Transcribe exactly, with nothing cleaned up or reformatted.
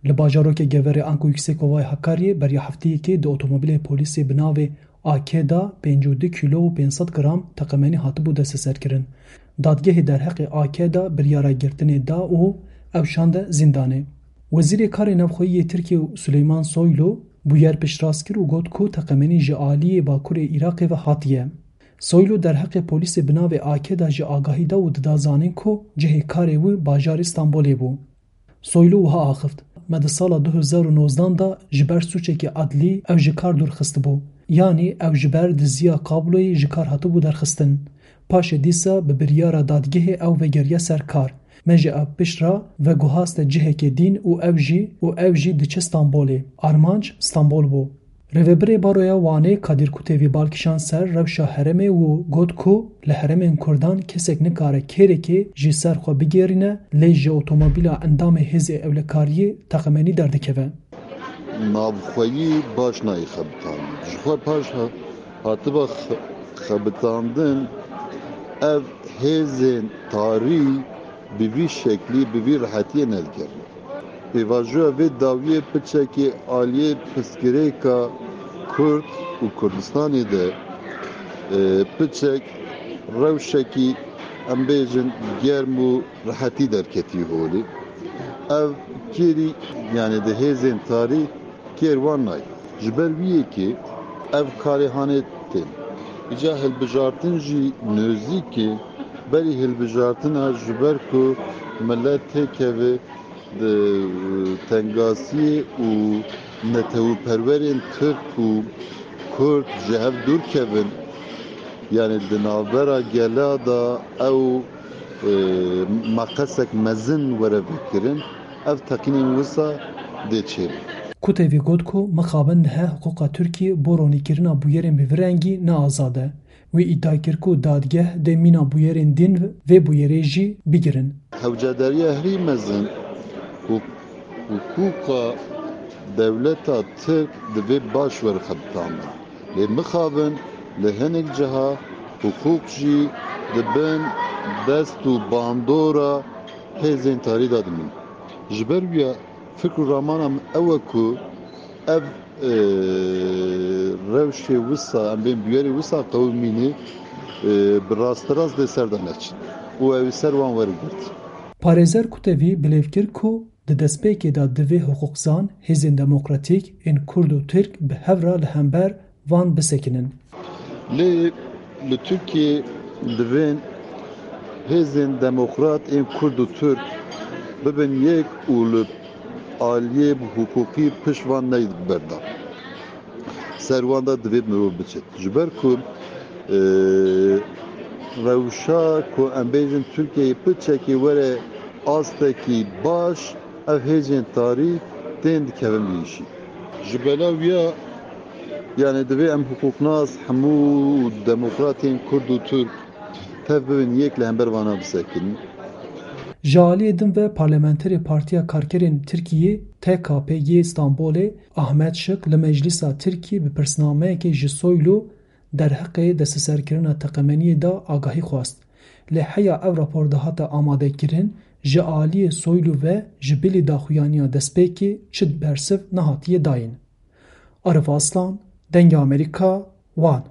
Li bajarokê Geverê anku Yüksekovayê Hakaryê beriya hefteyekê di otomobîlê polîsê bi navê A K de pêncî û du kîlo û pênc sed gram teqemenî hatibû desteserkirin. Dadgehê derheqê A K de biryara girtinê da û ew şande zîndanê. Wezîrê Karê Navxweyî yê Tirkiyê Suleyman Soylu bûyer piştrast kir û got ku teqemenî ji aliyê Bakurê Iraqê ve hatiye. Soylu derheqê polîsê bi navê A K de jî agahî da û dida zanîn ku cihê karê wî bajarê Stenbolê bû. Soylu wiha axift, Me di sala du hezar û nozdan de ji ber sûçekî edlî ew ji kar dûr xistibû. Yanî ew ji ber diziya kabloyê ji kar hatibû derxistin. Paşê dîsa bi biryara dadgehê ew vegeriya ser kar. Me ji ew pişt re veguhaste cihekê dîn û ew jî û ew jî diçe Stenbolê. Armanc Stenbol bû. Rêvebirê Baroya Wanê Kadir Kutevî bal kişand ser rewşa herêmê û got ku li herêmên Kurdan kesek nikare kêrekê ji ser xwe bigêrîne, lê ji otomobîla endamê hêzê ewlekariyê teqemenî derdikeve. Navxweyî baş nayê xebitandin. Ji xwe paş ha-, hatiba xe-, xebitandin, ev hêzên tarî bi vî şeklî, bi vî rehetiyê nedigerin. Pêvajoya vê dawiyê piçekê aliyê pirsgirêka Kurd û Kurdistanê de, e, piçek rewşekî, em bêjin, germ û rehetî derketî holê. Ev kêrî, yanî di hêzên tarî kêr wan nayê. Ji ber wî yekê ev karê hanê tên. Îca hilbijartin jî nêzîk e, berî hilbijartina ji ber ku milet têkeve di tengasiyê û netewperwerên Tirk û Kurd ji hev dûr kevin, yanî di navbera gela de ew, e, maqesek mezin were vekirin, ev teqînên wisa dê çêbin. Kutevî got ku mixabin niha hiqûqa Tirkiyê bo ronîkirina bûyerên bi vî rengî ne azad e. Wî îdia kir ku dadgeh dê mîna bûyerên dîn vê bûyerê jî bigirin. Hewcedariya herî mezin û hiqûqa dewleta Tirk divê baş were xebitandin. Lê mixabin li hinek ciha hiqûq jî di bin dest û bandora hêzên tarî de dimîn. Ji ber wî ya fikr û ramana min ew e ku ev, e, rewşê wisa, em bên bûyerê wisa qewimînê, e, bi rasterast dê ser de neçin û ew ê ser wan were girt. Parêzer Kutevî bilêv kir ku di destpêkê de divê hiqûqzan, hêzên demokratîk ên Kurd û Tirk bi hev re li hember van bisekinin. Lê li Tirkiyê divên hêzên demokrat ên Kurd û Tirk bibin yek û li aliyê hiqûqî pişt van neyê berdan. Ser wan de divê mirov biçe. Ji ber ku, e, rewşa ku em bêjin Tirkiyeyê piçekê were astekî baş, ev hêzên tarî tên dikevin vî îşî. Ji bela wî ya, yanî divê em hiqûqnas, hemû demokratên Kurd û Tirk tev bibin yek li hember vana bisekinin. Ji aliyê din ve parlamenterê Partiya Karkerên Tirkiyê, T K P, yê Stenbolê, Ahmet Şik li Meclîsa Tirkiyê bi pirsnameyekê ji Soylu derheqê desteserkirina teqemeniyê de agahî xwest. Lê heya ev rapor dihate amadekirin, ji aliyê Soylu ve ji bilî daxuyaniya destpêkê çi bersiv nehatiye dayîn. Arif Aslan, Dengê Amerîka, Wan.